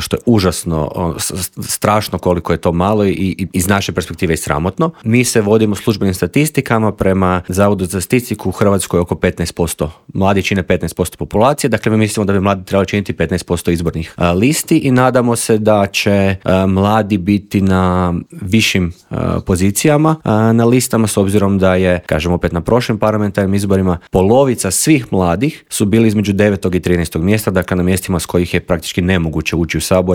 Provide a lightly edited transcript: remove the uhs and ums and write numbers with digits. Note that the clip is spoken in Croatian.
što je užasno strašno koliko je to malo i iz naše perspektive i sramotno. Mi se vodimo službenim statistikama prema Zavodu za statistiku u Hrvatskoj oko 15%. Mladi čine 15% populacije, dakle mi mislimo da bi mladi trebali činiti 15% izbornih listi i nadamo se da će mladi biti na višim pozicijama na listama, s obzirom da je, kažem opet na prošlim parlamentarnim izborima, polovica svih mladih su bili između 9. i 13. mjesta, dakle na mjestima s kojih je praktički nemoguće ući u Sabor